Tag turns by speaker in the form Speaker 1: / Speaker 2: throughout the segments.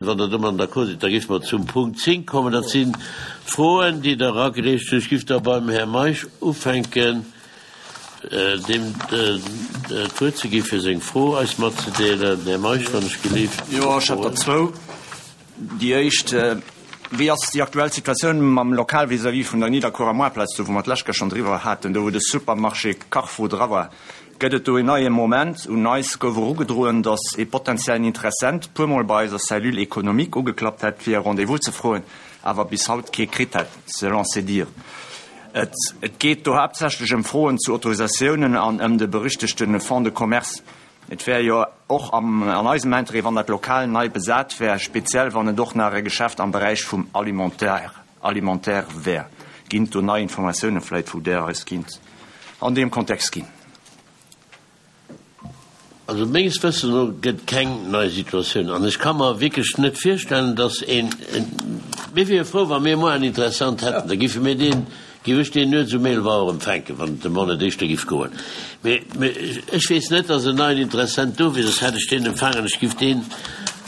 Speaker 1: Wann Der domadden d'accord sidd, da géife mer zum Punkt 10 kommen. Dat sinn d'Froen, déi Der eragereecht hutt. Ech géif da beim Här Meisch ufänken, deem d'Wuert ze gi fir seng Fro eis matzedeelen. Här Meisch, wann ech gelift.
Speaker 2: Jo, ech hätt der zwou. Déi éischt, Wéi ass déi aktuell Situatioun mam Lokal vis-à-vis vun der Nidderkuerer Moartplaz, do wou mer d'lescht Kéier schonn driwwer haten, do wou de Supermarché Carrefour dra war? Gëtt et do een neie Moment? Un eis gouf erugedroen, datt ee potentiellen Interessent puermol bei eiser Cellule économique ugeklappt hätt, fir e Rendez-vous ze froen, awer bis haut kee kritt hätt, selon ses dires. Et geet do haaptsächlech ëm Froen zu Autorisatiounen an ëm de berüchtegte Fonds de commerce. Et wär jo och an eisem Interêt, wann dat Lokal nei besat wär, speziell wann et och nach e Geschäft am Beräich vum Alimentaire alimentaire wär. Ginn et do nei Informatiounen vläit, wou Der eis kinnt an deem Kontext ginn?
Speaker 1: Also menges Wëssens no gëtt keng nei Situatioun an ech ka mer wierklech net virstellen, datt een, mir wiere frou, wa mir muer en Interessant hätten, da géife mir deen, géif ech deen nuets um 11 Auer empfänken, wann et dem Mann net éischter géif goen. Mee ech weess net, datt en neien Interessent do wier, soss hätt ech deen empfaangen. Ech géif deen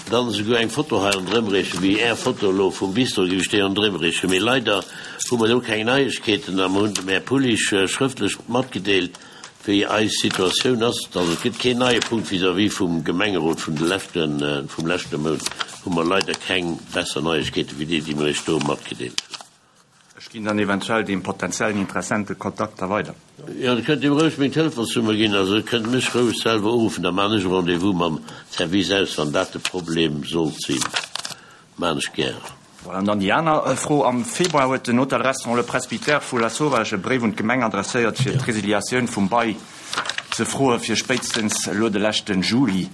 Speaker 1: dann esouguer eng Foto hei ronderëm reechen, wéi Är Foto elo vum Bistro, géif ech déi ronderëm reechen. Mee leider hu mer do keng Neiegkeeten a mer hunn dem Här Pullich schrëftlech matgedeelt, wéi eis Situatioun ass. Also et gëtt keen neie Punkt vis-à-vis vum Gemengerot vun de leschten, vum leschte Mount hu mer leider keng besser Neiegkeete wéi déi, déi mer Iech do matgedeelt hunn.
Speaker 2: Ech ginn dann eventuell deem potentiellen Interessent de Kontakt da weider.
Speaker 1: Jo, Der kënnt him roueg meng Telefonsnummer ginn. Also e kënnt mech roueg selwer uruffen, da maachen ech e Rendez-vous mam Service aus, wann dat de Problem sollt sinn. Maachen ech gären.
Speaker 2: Voilà, an dann déi aner Fro, Am Februar huet den Hotel-Restaurant Le Presbytère vu Lasauvage e Bréif un d'Gemeng adresséiert, fir d'Resiliatioun vum Bail ze froe fir spéitstens elo de leschte Juli.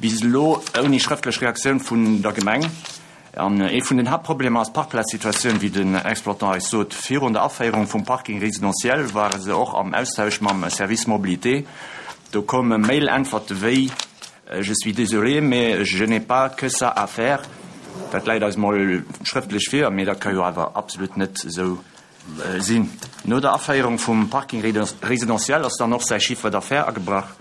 Speaker 2: Bis elo ouni schrëftlech Reaktioun vun der Gemeng. An ee vun den Haaptproblemer ass d'Parkplazsituatioun, wéi den Exploitant eis sot. Virun der Aféierung vum Parking résidentiel ware se och am Austausch mam Service Mobilité. Do koume Mail-Äntwerte wéi, Je suis désolé, mais je n'ai pas que ça à faire. Dat läit eis mol schrëftlech vir, mee dat ka jo awer absolut net esou sinn. No der Aféierung vum Parking résidentiel ass dann och säi Chiffre d'affaires agebrach,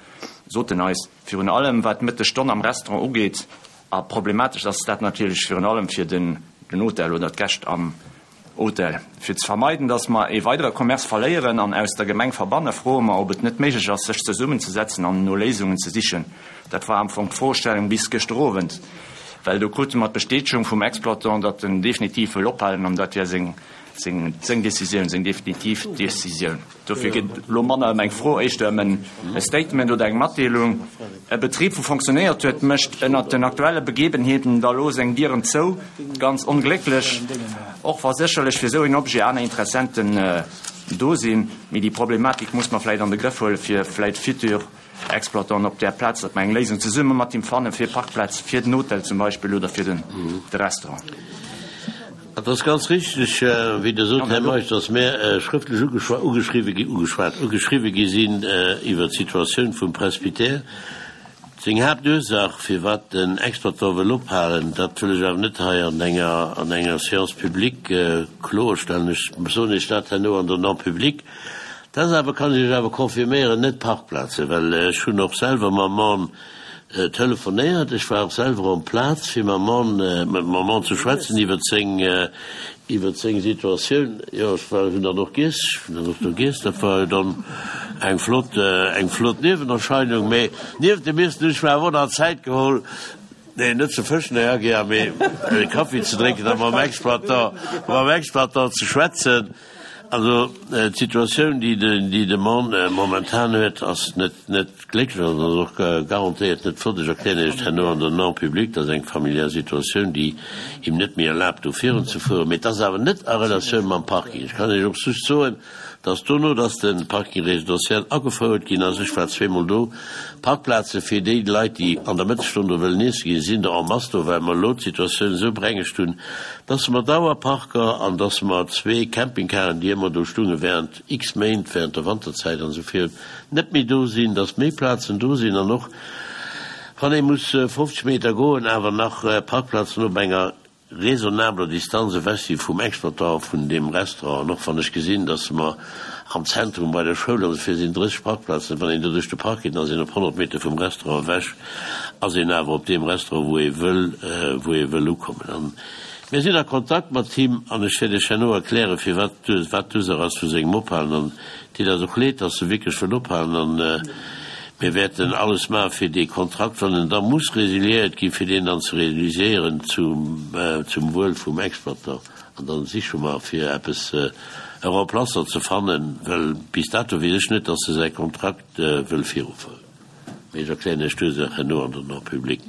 Speaker 2: sot en eis. Virun allem wat d'Mëttesstonn am Restaurant ugeet. A problematesch ass dat natierlech virun allem fir den Hotel oder d'Gäscht am Hotel. Fir ze vermeiden, datt mer ee weidere Commerce verléieren an aus der Gemeng verbanne, froe mer, ob et net méiglech ass, sech zesummenzesetzen an no Léisungen ze sichen. Dat war am Fong d'Froestellung bis gëschter Owend, well do krute mer d'Bestätegung vum Exploitant, datt en definitiv wëll ophalen an dat wär seng Decisioun, seng definitiv Decisioun. Dofir geet et elo manner ëm eng Fro, éischter ëm e Statement oder eng Matdeelung. E Betrib, wou fonctionnéiert huet, mécht ënnert den aktuelle Begebenheeten da lo seng Dieren zou. Ganz onglécklech, och wa sécherlech fir esou een Objet aner Interessenten do sinn. Mee déi Problematik muss mer vläicht an de Grëff huelen, fir vläicht futur Exploitanten op där Plaz, datt mer eng Léisung zesumme mat him fanne fir Parkplaz fir den Hotel zum Beispill oder fir den de Restaurant.
Speaker 1: Et ass ganz richteg, wéi Der sot, Här Meisch, datt mär schrëftlech ugeschriwwe gi, ugeschwat, ugeschriwwe gi sinn iwwert d'Situatioun vum Presbytère. Seng Haaptursaach, firwat den Exploitant wëll ophalen, dat wëll ech awer net hei an enger, an enger Séance publique kloerstellen. Ech soen Iech dat herno an der Non-publique. Dat ass awer, kann ech Iech awer confirméieren, net Parkplazen, well ech hunn och selwer mam Mann telefonéiert, ech war och selwer en place fir mam Mann, mam Mann ze schwätzen iwwert seng, iwwert seng Situatioun. Jo, ech war, hunn dann och giess, ech hunn dann och do giess, dat war jo dann eng flott, eng flott Niewenerscheinung. Mee nieft dem Iessen hunn ech mer awer och nach Zäit geholl, nee, net ze fëschen, Här Aguiar, mee e Kaffi ze drénken a mam Exploitant, mam Exploitant ze schwätzen. Also d'Situatioun, déi de Mann momentan huet, ass net net glécklech an ass och garantéiert net flott. Ech erklären Iech herno an der Non publique, dat ass eng familiär Situatioun, déi him net méi erlaabt, do virun ze fueren. Mee et ass awer net a Relatioun mam Parking. Ech kann Iech och just soen, dass dono, dass de Parking résidentiel agefouert ginn ass, ech war zweemol do, Parkplaze fir déi Leit, déi an der Mëttesstonn do wëllen iesse ginn, sinn der en masse do, well mer elo d'Situatioun esou berengegt hunn, dass mer Dauerparker an dass mer zwee Campingcaren, déi ëmmer do stunge während x Méint, während der Wanterzäit an esou virun, net méi do sinn, dass méi Plazen do sinn an och wann ee muss 50 Meter goen, awer nach Parkplazen op enger raisonnabler Distanz ewech si vum Exploitant vun deem Restaurant. An och wann ech gesinn, dass mer. Am Zentrum bei der Schoul, also fir sinn 30 Parkplazen. Wann een do duerch de Park geet, dann ass een op 100 Meter vum Restaurant ewech, ass een awer op deem Restaurant, wou ee wëll, wou ee wëll ukommen. An mir sinn a Kontakt mat him an ech wäert Iech herno erklären, firwat, wat d'Ursaach ass vu sengem Ophalen. An et deet eis och leed, dass e wierklech wëll ophalen. An mir wäerten alles maachen, fir dee Kontrakt, wann en da muss résiliéiert ginn, fir deen dann ze réaliséieren zum, zum Wuel vum Exploitant. An dann siche mer fir eppes, e Remplaçant ze fannen, well bis dato weess ech net, dass e säi Kontrakt wëll viruféieren. Mee ech erklären Iech d'Ursaach herno an der en public.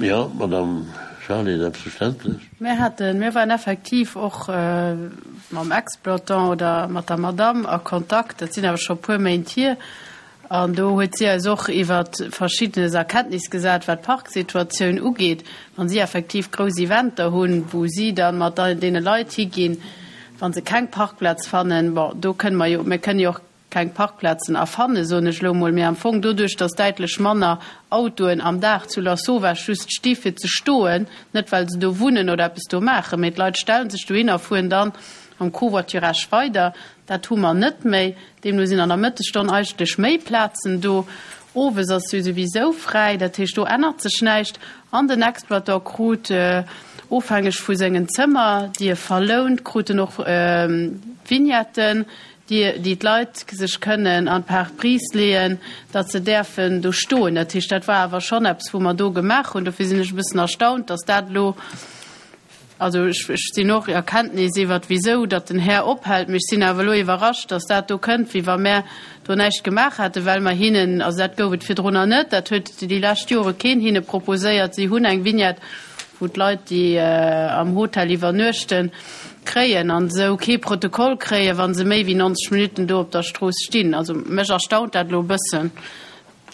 Speaker 1: Jo, Madame Charlé, selbstverständlech.
Speaker 3: Mir haten, mir waren effektiv och mam Exploitant oder mat der Madame a Kontakt, dat sinn awer scho e puer Méint hier, An do huet si eis och iwwer Verschiddenes a Kenntnis gesat, wat d'Parksituatioun ugeet, wa si effektiv grouss Eventer hunn, wou si da mat deene Leit higinn, wa se keng Parkplaz fannen. Bon, do kënne mer jo, mir kënne jo och keng Parkplazen erfannen, soen ech elo emol, mee am Fong doduerch, datt däitlech manner Autoen am Dag zu Lasauvage just sti fir ze stoen, net well se do wunnen oder eppes do maachen, mee d'Leit stelle sech dohin a fueren dann am Covoiturage weider, Dat hu mer net méi. Deemno sinn an der Mëttesstonn eigentlech méi Plazen do. Owes ass jo souwisou fräi, dat heescht, do ännert sech näischt. An den Exploitant krut, ofhängeg vu sengen Zëmmer, déi e verlount, krut en och Vignetten, déi déi d'Leit sech kënnen an d'Pare-brise leeën, datt se däerfen do stoen. Dat heescht, dat war awer schonn eppes, wou mer do gemaach hunn. Dofir sinn ech e bëssen erstaunt, datt dat elo, Also ech sinn och a Kenntnis iwwert wisou datt den Här ophält, mee ech sinn awer elo iwwerrascht, datt dat do kënnt, wéi wa mär do näischt gemaach hätten, well mer hinnen, also dat gouf et virdrunner net, dat huet déi lescht Jore keen hinne proposéiert, si hunn eng Vignette, wou d'Leit, déi am Hotel iwwernuechten, kréien an esou kee Protokoll kréien, wa se méi wéi 90 Minutten do op der Strooss stinn. Also mech erstaunt dat elo e bëssen.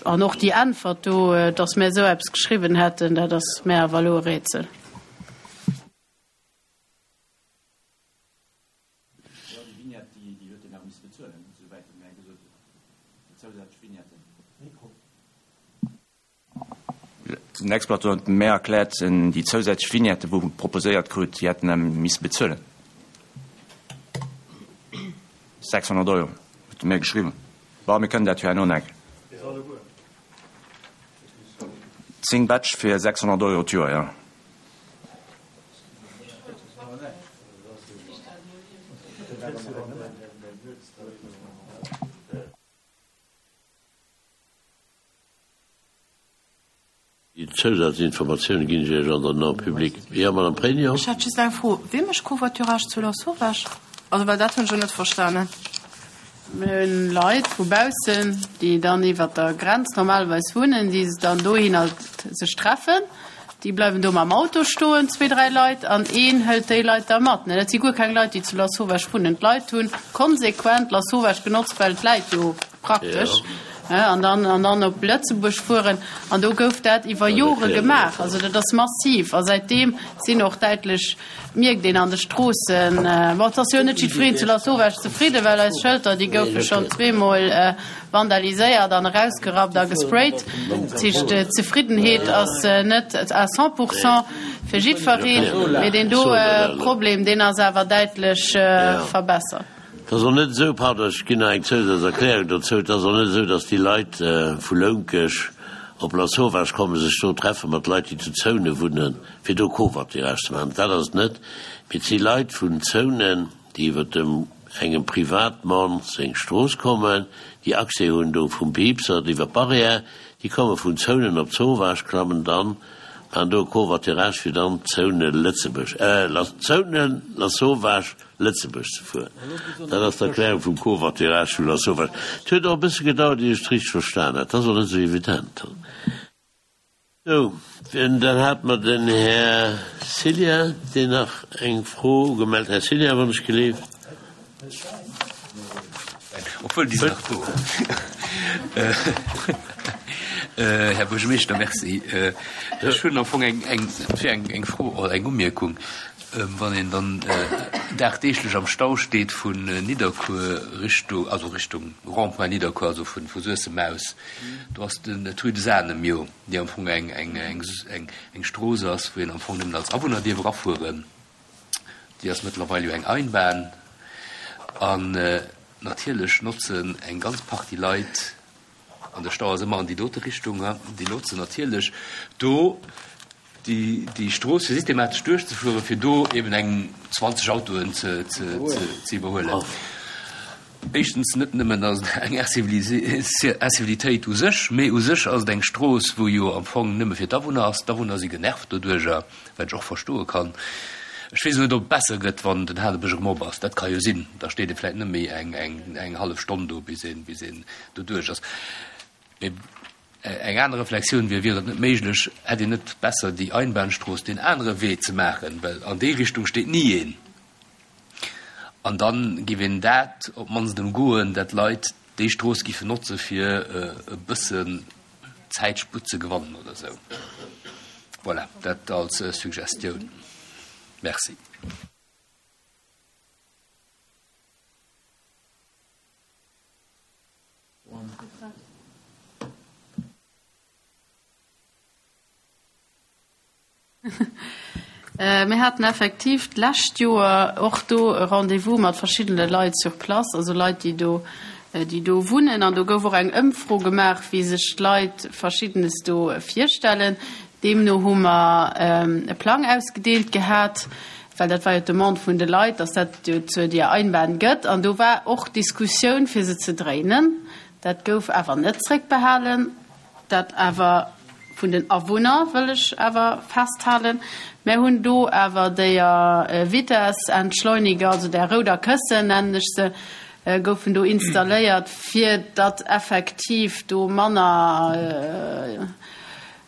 Speaker 3: An och déi Äntwert do, datt mär esou eppes geschriwwen hätten, dat ass mär awer elo e Rätsel.
Speaker 2: Den Exploiteur huet mär erkläert, déi zousätzlech Vignette wou proposéiert krut, déi hätten em misse bezuelen. 600 Euro huet e mär geschriwwen. Bon, mir kënnen dat jo herno nach eng. 10 Batch fir 600 Euro d'Joer, jo.
Speaker 1: Déi Zousazinformatioune ginn ech Iech an der en public. Jo, Madame Pregno.
Speaker 4: Ech hätt just eng Fro, Wie mécht Covoiturage zu Lasauvage? Also, well dat hunn ech elo net verstanen.
Speaker 3: Mir hunn Leit vu baussen, déi dann iwwert der Grenz normalerweis wunnen, déi dann dohinner sech treffen. Déi bleiwen do mam Auto stoen, zwee, dräi Leit, an een hëlt déi Leit da mat. Dat si guer keng Leit, déi zu Lasauvage wunnen. D'Leit hu konsequent Lasauvage genotzt, well et läit jo praktesch, an dann, an dann op Lëtzebuerg fueren. An do gouf dat iwwer Jore gemaach. Also dat ass massiv. A säitdeem sinn och däitlech Mierkt een an de Stroossen. Bon, et ass jo net jiddwereen zu Lasauvage zefridden, well eis Schëlter, déi goufe schonn zweemol vandaliséiert an erausgerappt a gesprayt. Dat heescht, d'Zefriddenheet ass net à 100 pourcent fir jiddwereen, mee deen do Problem, deen ass awer däitlech verbessert.
Speaker 1: Et ass och net esou, pardon, ech ginn nach eng Zousatzerklärung dozou, et ass och net esou, datt déi Leit vu Lounkesch op Lasauvage kommen, sech do treffe mat Leit, déi zu Zounen wunnen. fir do Covoiturage ze maachen, dat ass et net, mee et si Leit vun Zounen, déi iwwer dem engem Privatmann seng Strooss kommen, déi Accès hunn do vum Piipsert iwwer d'Barrière, déi komme vun Zounen op Zowaasch, klammen dann, maachen do e Covoiturage fir dann Zounen-Lëtzebuerg, Zounen, Lasauvage, Lëtzebuerg ze fueren. Dat ass d'Erklärung vum Covoiturage vu Lasauvage. Et huet och e bësse gedauert, ier ech et richteg verstan hat. Dat ass och net esou evident. Sou, dann hate mer den Här Cillien, deen nach eng Fro ugemellt. Här Cillien, wann ech geleeft.
Speaker 5: Obwuel, déi sinn nach do. Här Buergermeeschter, merci. Ech hunn am Fong eng, eng, et wier eng, eng Fro oder eng Umierkung. Wann een dann dagdeeglech am Stau steet vun Nidderkuer Richtung, also Richtung Rond-point Nidderkuer, also vu Suessem aus, Do ass den d'Rue des Anem jo, déi am Fong eng, eng, eng, eng, eng Strooss ass, wou een am Fong nëmmen als Awunner dierf erafueren. Déi ass mëttlerweil jo eng Einbahn. An natierlech notzen eng ganz Partie Leit, an de Stau ass ëmmer an déi dote Richtung, déi notzen natierlech do déi Strooss fir systematesch duerchzefueren, fir do eben eng 20 Autoen ze iwwerhuelen. Éischtens, net nëmmen ass et eng Incivilitéit u sech, mee u sech ass et eng Strooss, wou jo am Fong nëmme fir d'Awunner ass. D'Awunner si genervt doduerjer, wat ech och verstoe kann. Ech weess net, ob et besser gëtt, wann den Hanebësch erëm op ass. Dat ka jo sinn. Da steet ee vläicht net méi eng hallef Stonn do, bis een doduerch ass. Mee eng aner Reflexioun wier, Wier et net méiglech, hätt een net besser déi Einbahnstrooss deen anere Wee ze maachen, well an déi Richtung steet ni een. An da giff een dat op d'mannst ëmgoen, dat d'Leit déi Strooss giffen notze fir e bëssen Zäitsputt ze gewannen oder esou. Voilà, dat als Suggestioun. Merci.
Speaker 3: Mir haten effektiv d'lescht Joer och do e Rendez-vous mat verschiddene Leit sur place, also Leit, déi do, déi do wunnen. An do gouf och eng Ëmfro gemaach, wéi sech d'Leit Verschiddenes do virstellen. Deemno hu mer e Plang ausgedeelt gehat, well dat war jo d'Demande vun de Leit, dass dat jo zur deer Einbahn gëtt. An do war och d'Diskussioun, fir se ze dréinen. Dat gouf awer net zréckbehalen. Dat awer vun den Awunner, wëll ech awer festhalen. Mär hunn do awer déier Vitessentschleuniger, also där rouder Këssen nennen ech se, goufen do installéiert, fir datt effektiv do manner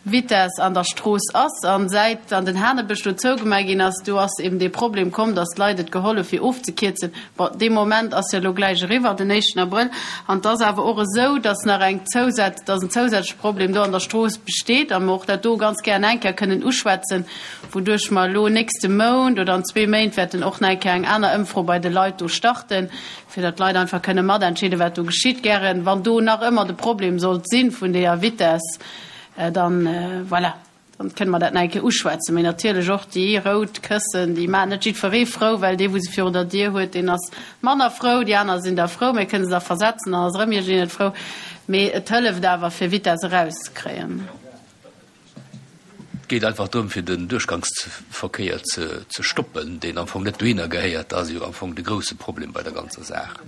Speaker 3: Vitess an der Strooss ass. An säit dann den Hanebësch do zougemaach ginn ass, do ass eben dee Problem komm, datt d'Leit et geholl hu fir ofzekierzen. Bon, dee Moment ass jo elo gläich eriwwer, den éischten Abrëll. An et ass awer och esou, datt nach eng zousät, datt en zousätzleche Problem do an der Strooss besteet a mer och dat do ganz gären eng Kéier kënnen uschwätzen, wouduerch mer elo nächste Mount oder an zwee Méint wäerten och nach eng Kéier eng aner Ëmfro bei de Leit do starten, fir datt d'Leit einfach kënne matentscheeden, wat do geschitt. Gären, wann do nach ëmmer de Problem sollt si vun deeër Vitess, dann, voilà, dann kënne mer dat nach eng Kéier uschwätzen. Mee natierlech och déi rout Këssen, déi maachen net jiddweree frou, well dee wou se virun der Dier huet, deen ass manner frou, déi aner sinn da frou, mir kënne se da versetzen, dann ass erëm iergendeen net frou. Mee et hëlleft awer fir Vitess erauszekréien.
Speaker 5: Et geet einfach drëm, fir den Duerchgangsverkéier ze stoppen, deen am Fong net dohinner gehéiert. Dat ass jo am Fong de grouse Problem bei der ganzer Saach.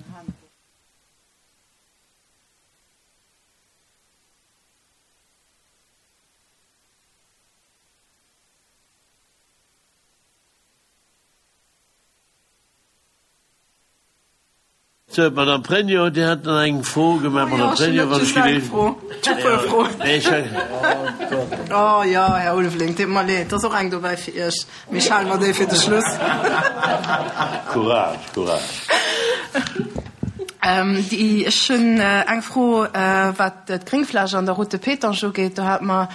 Speaker 1: Sou, d'Madame Pregno, Dir hat nach eng Fro gemaach. Madame Pregno, wann ech
Speaker 4: geleeën. Oh jo, Här Ulveling, deet mer leed, et ass och eng dobäi fir Iech, mee ech hale mer déi fir de Schluss.
Speaker 1: Courage, courage.
Speaker 4: Déi, ech hunn eng Fro, wat d'Gréngfläch an der Route de Pétange ugeet. Do hate mer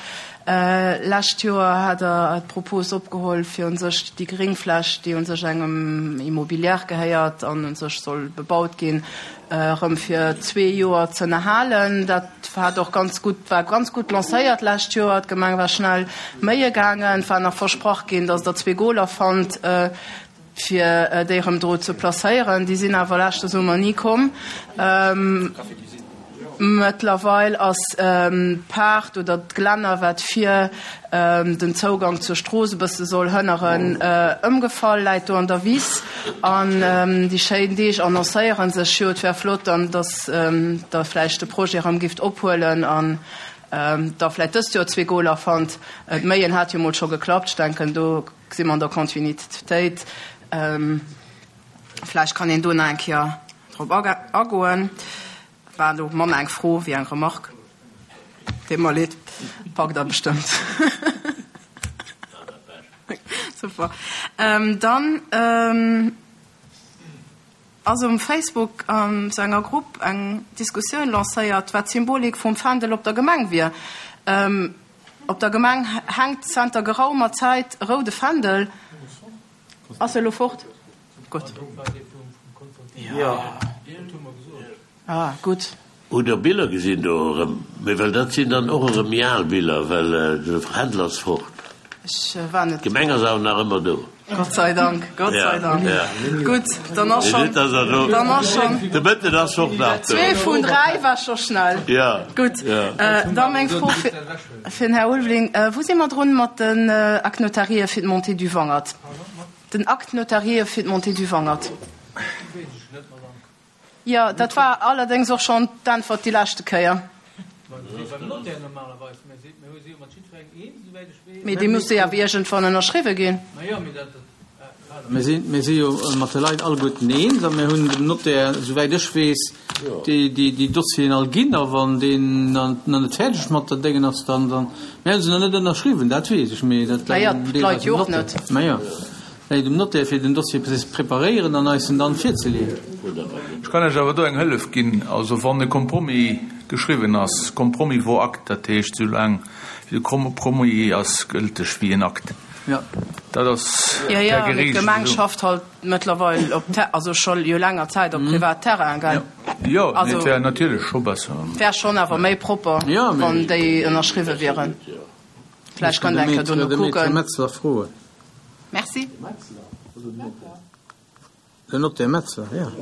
Speaker 4: Lescht Joer hat Der d'Propos opgeholl, fir u sech déi Gréngfläch, déi u sech engem Immobilière gehéiert an u sech soll bebaut ginn, erëm fir zwee Joer z'ënnerhalen. Dat hat och ganz gutt, war ganz gutt lancéiert d'lescht Joer. D'Gemeng war schnell méie gaangen. Et war nach versprach ginn, datt Der zwee Goler fannt. fir déi erëm do ze placéieren. Déi sinn awer leschte Summer ni komm. Mëttlerweil ass d'Paart oder d'Glänner, wat vir den Zougang zur Strooss e bësse soll hënneren, ëmgefall, läit do an der Wiss. An déi schéin Deeg annoncéiere sech jo. Et wär flott dann, datt Der vläicht de Projet erëm gifft ophuelen an da vläicht dëst Joer zwee Goler fannt. D'Méien hat jo mol scho geklappt. Ech denken, do Si mer an der Kontinuitéit. Vläicht kann een do nach eng Kéier drop agoen. War elo manner eng Fro wéi eng Remarque. Deet mer leed. Packt Der bestëmmt. Super. Dann ass um Facebook an esou enger Grupp eng Diskussioun lancéiert, wat d'Symbolik vum Fändel op der Gemeng wier. Op der Gemeng hänkt zenter geraumer Zäit e roude Fändel. Ass e lo fort? Gutt. Ah, gutt.
Speaker 1: Hutt der Biller gesinn do erëm? Mee well dat sinn dann och erëm méi al Biller, well de Fändel ass fort.
Speaker 4: Ech war net.
Speaker 1: D'Gemeng ass awer nach ëmmer do.
Speaker 4: Gott sei Dank, Gott sei Dank. Gutt, dann ass schonn, dann ass schonn.
Speaker 1: De Mëtten ass och nach do.
Speaker 4: Zwee vun dräi war scho schnell. Gutt, da meng Fro fir den Här Ulveling, Wou si mer drun mat den Actes notariés fir d'Montée du Wangert? Den Acte notarié fir d'Montée du Wangert. Jo, dat war allerdéngs och schonn d'Äntwert déi leschte Kéier. Mee déi musse jo awer iergendwann ënnerschriwwe ginn.
Speaker 6: Mir si jo mat de Leit alleguerten eens a mir hunn dem Notaire, souwäit ech weess, déi Dossieren all ginn. A wann deen nach net fäerdeg mat der Déngen ass, dann, mir hu se nach net ënnerschriwwen, dat weess ech, mee dat läit deelweis um Notaire. Läit um Notaire fir den Dossier ze preparéieren an eis en dann virzeleeën.
Speaker 7: Ech kann Iech awer do eng Hëllef ginn. Also wann e Compromis geschriwwen ass, Compromis vaut acte, dat heescht soulaang wéi de Compromis ass gëlteg wéi en Akt. Dat ass
Speaker 4: per
Speaker 7: Jo, jo,
Speaker 4: mee
Speaker 7: gereegelt
Speaker 4: d'Gemeng
Speaker 7: esou.
Speaker 4: schafft halt mëttlerweil op Ter-, also scho jo länger Zäit op Privatterrain, gell?
Speaker 7: Jo, mee
Speaker 4: Also
Speaker 7: et wär natierlech scho besser.
Speaker 4: wär schonn awer méi propper, wann déi ënnerschriwwe wieren. Vläicht
Speaker 6: Ech
Speaker 4: kënnt
Speaker 6: kann de
Speaker 4: eng Kéier
Speaker 6: Maître,
Speaker 4: dono
Speaker 6: de Maître
Speaker 4: kucken.
Speaker 6: Metzler froen.
Speaker 4: Merci.
Speaker 6: Den Notaire Metzler, jo.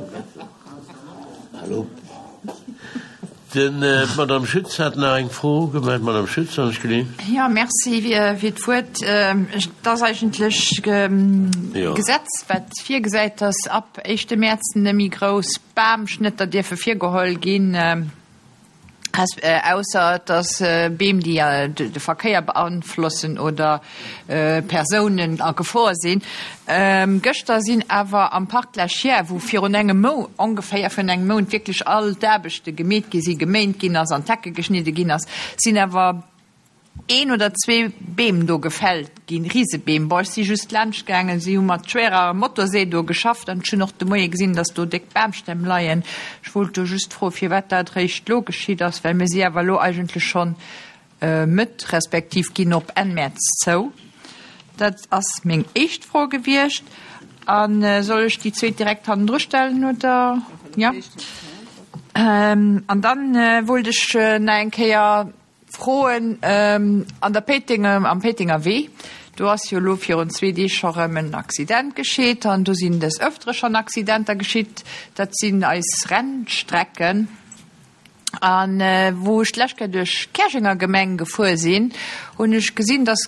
Speaker 1: Hallo. Den, d'Madame Schütz hat nach eng Fro gemellt. Madame Schütz, wann ech gelinn.
Speaker 8: Jo, merci fir d'Wuert. Et ass eigentlech d'Gesetz, wat virgesäit, dass ab éischte Mäerz net méi grouss Bamschnëtter dierfe virgeholl ginn. Ausser et ass Beem, déi de Verkéier beanflossen oder Persounen a Gefor sinn. Gëschter sinn awer am Parc de la Chiers, wou virun engem Mou ongeféier virun engem Mount wierklech all d'Aarbechte gemeet gi sinn, geméint ginn ass an d'Hecke geschnidde ginn ass, sinn awer een oder zwee Beem do gefällt ginn, Risebeem. Bon, ech si just laanscht gaangen, si hu mat schwerer Motorsee do geschafft an ech hunn och de Moie gesinn, dass do déck Bamstämm leien. Ech wollt do just froen, firwat dat eréischt elo geschitt ass, well mir si awer elo eigentlech schonn Mëtt respektiv ginn op Enn Mäerz zou. Dat ass meng éischt Fro gewiescht. A soll ech déi zweet direkt hannendru stellen, oder? Jo. An dann wollt ech nach eng Kéier Froen an der Péitenger, am Péitenger Wee, do ass jo elo virun zwee Deeg scho rëm en Accident geschitt an do sinn des Ëftere schonn Accidenter geschitt. Dat sinn eis Rennstrecken. A wou ech d'lescht Kéier duerch d'Käerjenger Gemeng gefuer sinn, hunn ech gesinn, dass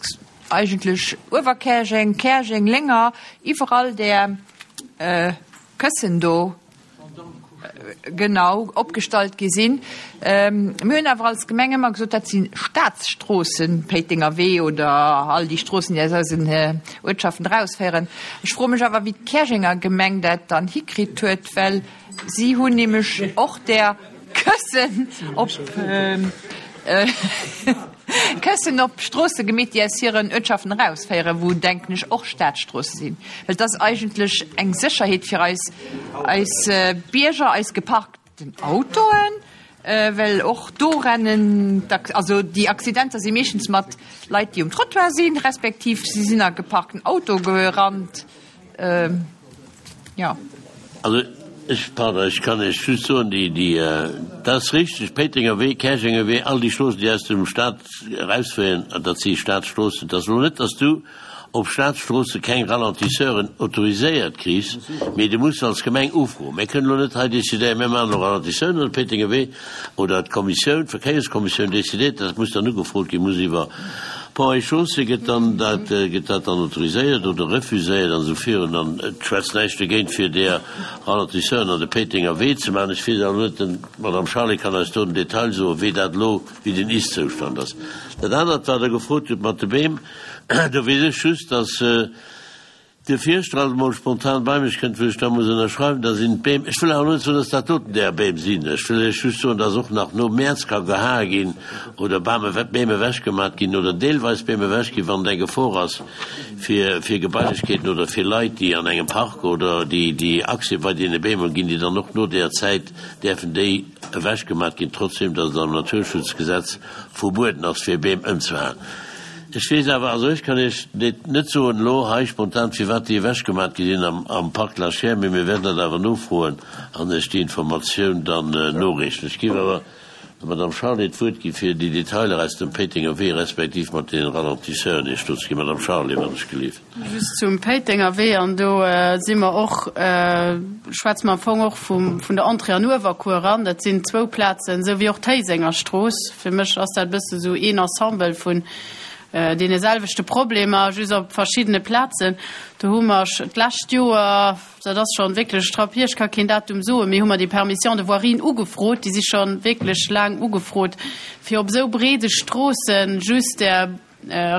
Speaker 8: eigentlech Uewerkäerjeng, Käerjeng, Lénger, iwwerall där Këssen do, Genau, opgestallt gi sinn. Mir hunn awer als Gemeng ëmmer gesot, dat si Staatsstroossen, Péitenger Wee oder all déi Stroossen, déi aus eisen Uertschaften erausféieren. Ech froe mech awer, wéi d'Käerjenger Gemeng dat dann hikritt huet, well si hunn nämlech och där Këssen op. Këssen op Stroosse gemeet, déi aus hiren Uertschaften erausféieren, wou, denken ech, och Staatsstroosse sinn. Well et ass eigentlech eng Sécherheet fir eis, eis Bierger, eis geparkten Autoen, well och do rennen, also déi Accidenter si meeschtens mat Leit, déi um Trottoir sinn, respektiv si sinn a geparkten Auto gerannt. Jo.
Speaker 1: Also ech, pardon, ech kann Iech just soen, déi, déi, dat ass richteg, Péitenger Wee, Käerjenger Wee, all déi Stroossen, déi aus dem Stat erausféieren, dat si Statsstroossen. Et ass elo net, dass du op Statsstroosse keng Ralentisseuren autoriséiert kriss, mee du muss als Gemeng ufroen. Mir kënnen elo net hei décidéieren, mir maachen elo Ralentisseuren an de Péitenger Wee, Oder d'Kommissioun, d'Verkéierskommissioun décidéiert, dat muss dann ugefrot ginn, muss iwwer Ponts et Chaussées gëtt dann dat, gëtt dat dann autoriséiert oder refuséiert an esou virun. An et schwätzt näischt dogéint, fir där Ralentisseuren an de Péitenger Wee ze maachen. Ech weess awer net, den, d'Madame Charlé kann eis do den Detail soen, wéi dat elo, wéi den Ist-Zoustand ass. Dat anert, wat Der gefrot hutt mat de Beem, do weess ech just, dass, De Fierschter alt emol spontan bei mech kënnt, wou ech da muss ënnerschreiwen, da sinn d'Beem, ech wëll awer net soen, dass dat doten där Beem sinn, ech wëll Iech just soen, dass och nach nom Mäerz ka gehae ginn oder Bame, Beem ewechgemat ginn oder deelweis Beem ewech ginn, wann et eng Gefor ass fir, fir Gebailechkeeten oder fir Leit, déi an engem Park oder déi, déi Accès bei deene Beem hunn, ginn déi dann och no där Zäit, däerfen déi ewechgemat ginn, trotzdem dass et am Naturschutzgesetz verbueden ass, fir Beem ëmzehaen. Ech weess awer, also ech kann Iech net soen elo hei spontan, firwat déi ewechgemat gi sinn am Parc Lachière, mee mir wäerten dat awer nofroen an Iech déi Informatioun dann noreechen. Ech géif awer, Der Madame Charlé d'Wuert gi fir déi Detailer aus dem Péitenger Wee respektiv mat deene Ralentisseuren Iech do ze ginn. Madame Charlé, wann ech gelift.
Speaker 3: Just zum Péitenger Wee, an do si mer och, schwätze mer am Fong och vum, vun der Entrée an Uewerkuer eran. Dat sinn zwou Plazen, esou wéi och d'Héisenger Strooss. Fir mech ass dat e bësse sou een Ensemble vun deene selwechte Problemer, just op verschiddene Plazen. Do hu mer d'lescht Joer, dat ass schonn wierklech Trapp hier, ech ka keen Datum soen, mee hu mer déi Permission de voirie ugefrot, déi si schonn wierklech laang ugefrot, fir op esou breede Stroosse just där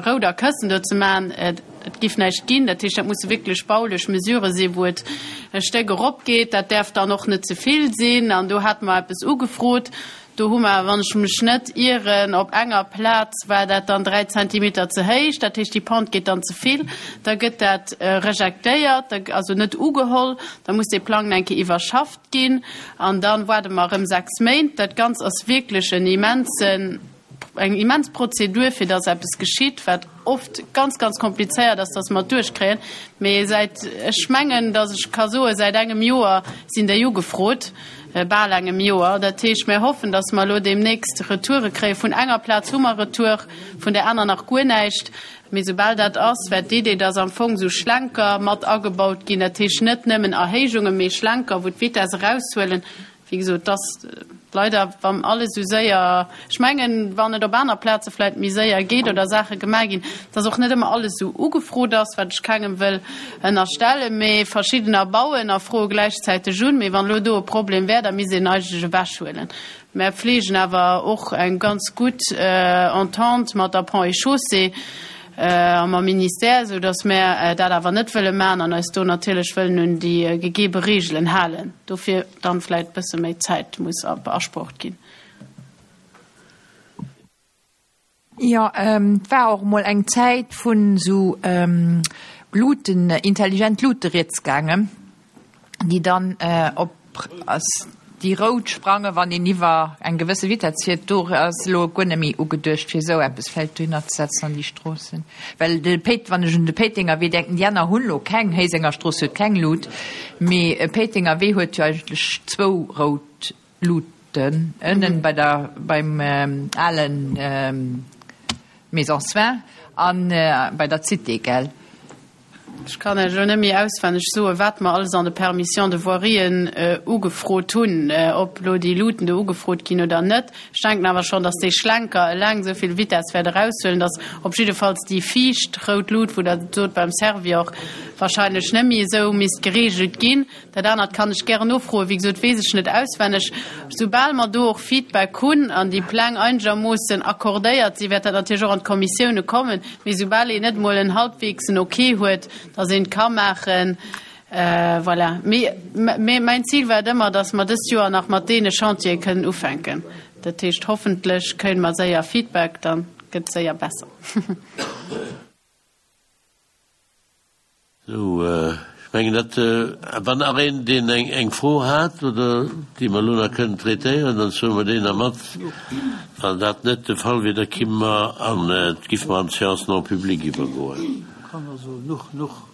Speaker 3: rouder Këssen do ze maachen. Et giff näischt ginn. Dat heescht, dat musse wierklech baulech Mesurë sinn, wou et e Stéck eropgeet. Dat däerf dann och net ze vill sinn. An do hate mer eppes ugefrot. Do hu mer, wann ech mech net ieren, op enger Plaz war dat dann 3 Zentimeter ze héich, dat heescht déi Pente geet dann ze vill, da gëtt dat rejektéiert, also net ugeholl, da muss dee Plang eng Kéier iwwerschafft ginn an da waarde mer erëm 6 Méint. Dat Ganzt ass wierklech en immensen, eng immens Prozedur, fir dass eppes geschitt, wat oft ganz, ganz komplizéiert ass, dass mer et duerchkréien. Mee säit, ech mengen, dass ech ka soen, säit engem Joer sinn déi ugefrot, bal engem Joer. Dat heescht, mir hoffen, dass mer elo deemnächst Retoure kréien. Vun enger Plaz hu mer Retour, vun där aner nach guer näischt. Mee soubal dat ass, wäert d'Idee, dass am Fong esou Schlenker mat agebaut ginn, dat heescht net nëmmen Erhéijungen, mee Schlenker, wou d'Vitesse eraushuelen, Wéi gesot, et ass leider, wann alles esou séier, ech mengen, wann et op aner Plaze vläicht méi séier geet oder Saache gemaach ginn, dass och net ëmmer alles esou ugefrot ass, wat ech kengem wëll ënnerstellen, mee verschiddener bauen a froe gläichzäiteg un. Mee wann elo do e Problem wär, da misst een eigentlech ewechhuelen. Mär pfleegen awer och eng ganz gutt Entente mat der Ponts et Chaussées a mam Ministère, esou dass mär dat awer net wëlle maachen an eis do natierlech wëllen un déi gegeebe Regeln halen. Dofir dann vläit bësse méi Zäit muss beasprocht ginn.
Speaker 8: Jo, et war och emol eng Zäit vun esou Luuten, intelligent Luute rieds gaangen, déi dann op déi rout sprangen, wann een iwwer eng gewësse Vitesse fiert. Do ass elo guer net méi ugeduecht, fir esou eppes vläicht dohinner ze setzen an déi Stroossen. Well de Péit, wann ech un de Péitenger Wee denken, déi aner hunn elo keng, Héisenger Strooss huet keng Lut, mee Péitenger Wee huet jo eigentlech zwou rout Luten, ënnen bei der, beim alen Maison Soins an bei der Cité, gell?
Speaker 3: Ech kann Iech elo net méi auswenneg soen, wat mer alles an de Permissions de voirien ugefrot hunn, ob elo déi Luuten do ugefrot ginn oder net. Ech denken awer schonn, dass dee Schlenker eleng esou vill Vitesse wäert eraushuelen, dass op jiddefalls déi viischt rout Lut, wou Der sot beim Servior, wahrscheinlech net méi esou misst geregelt ginn. Dat anert kann ech gären nofroen. Wéi gesot, weess ech net auswenneg. Soubal mer do och Feedback hunn an déi Pläng einegermoossen accordéiert sinn, wäert dat natierlech och an d'Kommissioune kommen. Mee soubal een net emol en halbweegsen Ok huet, datt een et ka maachen, voilà. Mee mäin Zil war et ëmmer, datt mer dëst Joer nach mat deene Chantiere kënnen ufänken. Dat heescht, hoffentlech kréie mer séier Feedback, da gëtt et séier besser.
Speaker 1: Sou, ech mengen dat, wann nach een, deen eng Fro hat oder déi mer elo nach kënnen traitéieren, dann soe mer déi nach mat. Wann dat net de Fall wier, da kimme mer an, giffe mer an d'Séance non publique iwwergoen.
Speaker 6: Kann also nuch, nuch.